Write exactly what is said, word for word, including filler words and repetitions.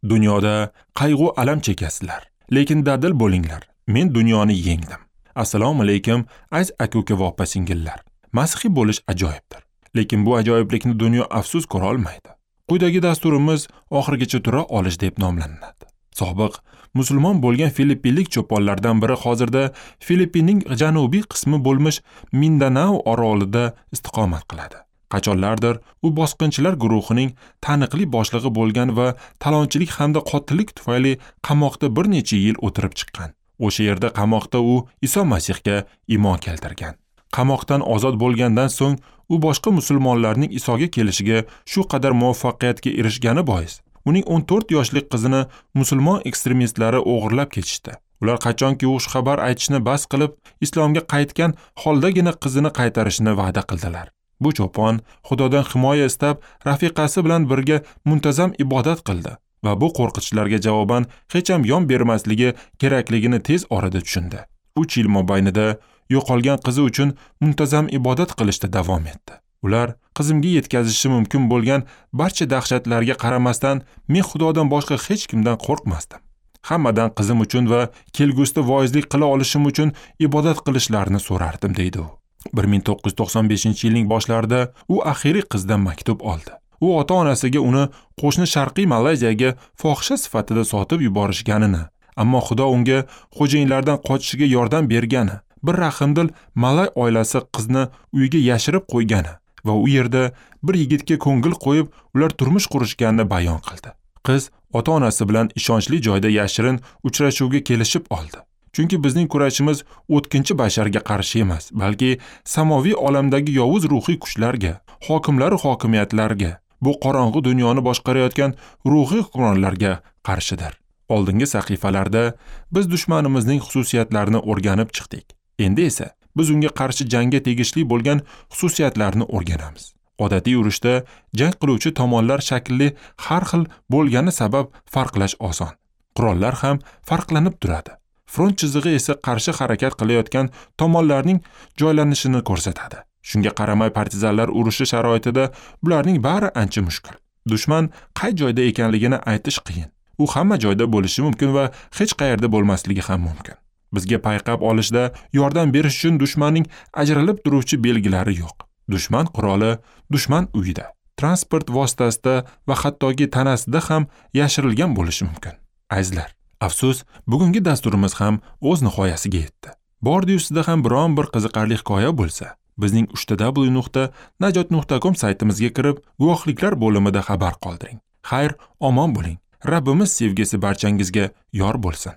Dunyoda qayg'u alam chekasizlar, lekin dadil bo'linglar. Men dunyoni yengdim. Assalomu alaykum, aziz aka-uka va opa-singillar. Masihiy bo'lish ajoyibdir. Lekin bu ajoyiblikni dunyo afsus ko'ra olmaydi. Quyidagi dasturimiz oxirigacha tura olish deb nomlanadi. Sobiq musulmon bo'lgan filippinlik cho'ponlardan biri hozirda Filippinning janubiy qismi bo'lmish Mindanao orolida istiqomat qiladi. Qachonlardir u bosqinchilar guruhining taniqli boshlig'i bo'lgan va talonchilik hamda qotillik tufayli qamoqda bir necha yil o'tirib chiqqan. O'sha yerda qamoqda u Iso Masihga iymon keltirgan. Qamoqdan ozod bo'lgandan so'ng u boshqa musulmonlarning Isoga kelishiga shu qadar muvaffaqiyatga erishgani bois uning o'n to'rt yoshli qizini musulmon ekstremistlari o'g'irlab ketishdi. Ular qachonki u xabar aytishni bas qilib, islomga qaytgan holdagina qizini qaytarishni va'da qildilar. Bu cho'pon Xudodan himoya istab, rafiqasi bilan birga muntazam ibodat qildi va bu qo'rqitishlarga javoban hech ham yon bermasligi kerakligini tez orada tushundi. Uch yil mobaynida yo'qolgan qizi uchun muntazam ibodat qilishda davom etdi. Ular qizimga yetkazishi mumkin bo'lgan barcha dahshatlarga qaramasdan men Xudodan boshqa hech kimdan qo'rqmasdim. Hammadan qizim uchun va kelgusida voizlik qila olishim uchun ibodat qilishlarini so'rardim, deydi u. bir ming to'qqiz yuz to'qson beshinchi yilning boshlarida u axiriy qizdan maktub oldi. U ota-onasiga uni qo'shni Sharqiy Malayziyaga fohisha sifatida sotib yuborishganini, ammo Xudo unga xo'jayinlardan qochishiga yordam bergani, bir rahimdil malay oilasi qizni uyiga yashirib qo'ygani va u yerda bir yigitga ko'ngil qo'yib ular turmush qurishganini bayon qildi. Qiz ota-onasi bilan ishonchli joyda yashirin uchrashuvga kelishib oldi. Chunki bizning kurashimiz o'tkinchi basharga qarshi emas, balki samoviy olamdagi yovuz ruhiy kuchlarga, hokimlar va hokimiyatlarga, bu qorong'u dunyoni boshqarayotgan ruhiy hukmronlarga qarshidir. Oldingi sahifalarda biz dushmanimizning xususiyatlarini o'rganib chiqdik. Endi esa biz unga qarshi jangga tegishli bo'lgan xususiyatlarni o'rganamiz. Odatiy urushda jang qiluvchi tomonlar shakli har xil bo'lgani sabab farqlash oson. Qurollar ham farqlanib turadi. Front chizig'i esa qarshi harakat qilayotgan tomonlarning joylanishini ko'rsatadi. Shunga qaramay partizanlar urushi sharoitida bularning bari ancha mushkul. Dushman qay joyda ekanligini aytish qiyin. U hamma joyda bo'lishi mumkin va hech qayerda bo'lmasligi ham mumkin. Bizga payqab olishda yordam berish uchun dushmanning ajralib turuvchi belgilari yo'q. Dushman quroli dushman uyida, transport vositasida va hattoki tanasida ham yashirilgan bo'lishi mumkin. Azizlar, afsus, bugungi dasturimiz ham o'z nihoyasiga yetdi. Bordi-yu sizda ham biron bir qiziqarli hikoya bo'lsa, bizning uchta w nuqta najot nuqta com saytimizga kirib, guvohliklar bo'limida xabar qoldiring. Xayr, omon bo'ling. Rabbimiz sevgisi barchangizga yor bo'lsin.